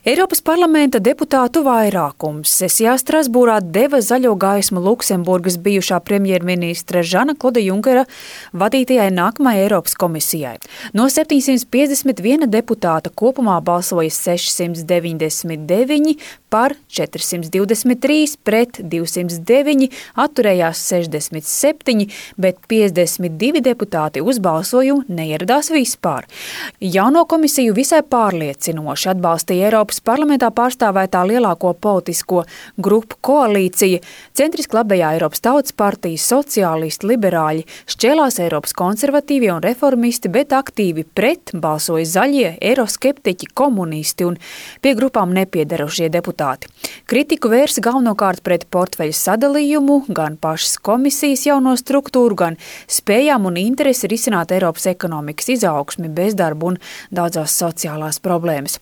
Eiropas parlamenta deputātu vairākums sesijā Strasbūrā deva zaļo gaismu Luksemburgas bijušā premjerministra Žana Kloda Junkera vadītajai nākamajai Eiropas komisijai. No 751 deputāta kopumā balsoja 699 par 423, pret 209, atturējās 67, bet 52 deputāti uz balsojumu neieradās vispār. Jauno komisiju visai pārliecinoši atbalstīja Eiropas parlamentā pārstāvētā lielāko politisko grupu koalīcija, centriski labējā Eiropas Tautas partija, sociālisti, liberāļi, šķēlās Eiropas konservatīvie un reformisti, bet aktīvi pret balsoja zaļie, eiroskeptiķi, komunisti un pie grupām nepiedarošie deputāti. Kritiku vērsa galvenokārt pret portfeļu sadalījumu, gan pašas komisijas jauno struktūru, gan spējām un interesi risināt Eiropas ekonomikas izaugsmi, bezdarbu un daudzās sociālās problēmas.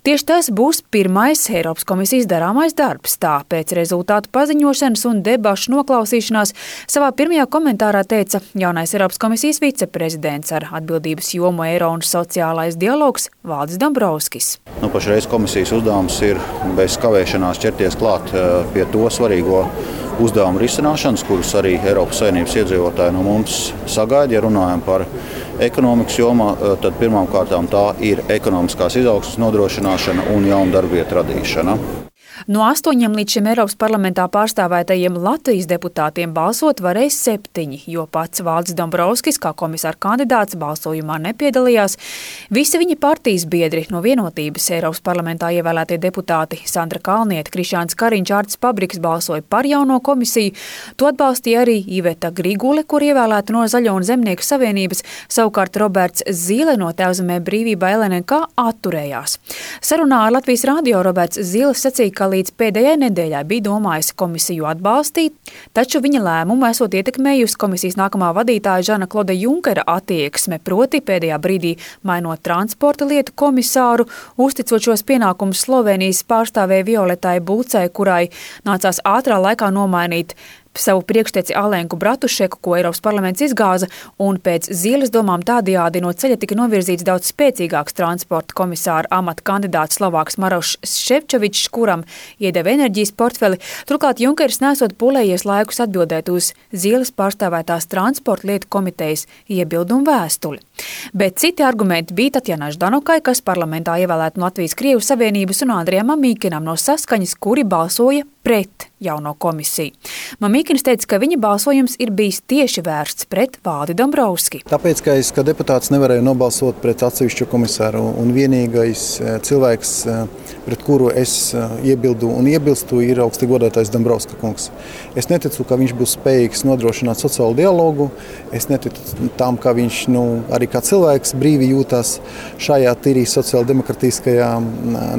Tieši tas būs pirmais Eiropas komisijas darāmais darbs. Tā pēc rezultātu paziņošanas un debašu noklausīšanās savā pirmajā komentārā teica jaunais Eiropas komisijas viceprezidents ar atbildības jomu eiro un sociālais dialogs Valdis Dombrovskis. Pašreiz komisijas uzdevums ir bez kavēšanās ķerties klāt pie to svarīgo uzdevumu risināšanas, kurus arī Eiropas Savienības iedzīvotāji no mums sagaida. Ja runājam par ekonomikas jomā, tad pirmām kārtām tā ir ekonomiskās izaugsmes nodrošināšana un jaunu darbvietu radīšana. No 8 līdz šim Eiropas parlamentā pārstāvētajiem Latvijas deputātiem balsot varēs 7, jo pats Valdis Dombrovskis, kā komisāra kandidāts, balsojumā nepiedalījās. Visi viņa partijas biedri no Vienotības Eiropas parlamentā ievēlētie deputāti Sandra Kalniete, Krišjāns Kariņš, Artis Pabriks balsoja par jauno komisiju. To atbalstīja arī Iveta Grigule, kur ievēlēta no Zaļo un Zemnieku savienības, savukārt Roberts Zīle no Tēvzemē brīvībā LNK atturējās. Sarunā ar Latvijas radio Roberts Zīle sacīja, ka līdz pēdējai nedēļai bija domājis komisiju atbalstīt, taču viņa lēmumu esot ietekmējusi komisijas nākamā vadītāja Žana Kloda Junkera attieksme, proti pēdējā brīdī mainot transporta lietu komisāru, uzticot šos pienākumus Slovenijas pārstāvēja Violetai Bulcai, kurai nācās ātrā laikā nomainīt savu priekšteci Alenku Bratušeku, ko Eiropas parlaments izgāza, un pēc Zīles domām tādējādi no ceļa tika novirzīts daudz spēcīgāks transporta komisāra amata kandidāts Slovāks Marošs Šefčovičs, kuram iedeva enerģijas portfeli. Turklāt Junkers nesot pūlējies laikus atbildēt uz Zīles pārstāvētās transporta lietu komitejas iebildumu vēstuli. Bet citi argumenti bija Tatjanai Ždanokai, kas parlamentā ievēlēta no Latvijas Krievu savienības, un Andrijam Mamīkinam no Saskaņas, kuri balsoja pret jauno komisiju. Mamīkins teica, ka viņa balsojums ir bijis tieši vērsts pret Valdi Dombrovski. Tāpēc, ka es kā deputāts nevarēju nobalsot pret atsevišķu komisāru, un vienīgais cilvēks, pret kuru es iebildu un iebilstu, ir augsti godātais Dombrovska kungs. Es neticu, ka viņš būs spējīgs nodrošināt sociālu dialogu. Es neticu tam, ka viņš arī kā cilvēks brīvi jūtas šajā tīrī sociāldemokratiskajā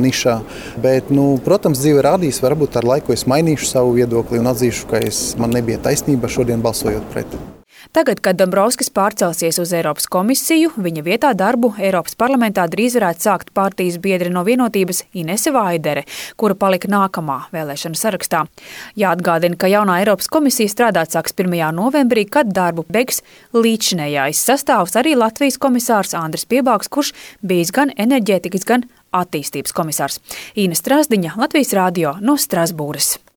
nišā. Bet, protams, dzīve rādīs, varbūt ar laiku es mainīšu savu viedokli un atzīšu, ka man nebija taisnība šodien balsojot pret. Tagad, kad Dombrovskis pārcelsies uz Eiropas komisiju, viņa vietā darbu Eiropas parlamentā drīz varētu sākt partijas biedri no Vienotības Inese Vaidere, kura palika nākamā vēlēšanu sarakstā. Jāatgādina, ka jaunā Eiropas komisija strādāt sāks 1. novembrī, kad darbu beigs līdzinējais sastāvs arī Latvijas komisārs Andris Piebāgs, kurš bijis gan enerģētikas, gan attīstības komisārs. Īne Strasdiņa, Latvijas radio no Strasbūras.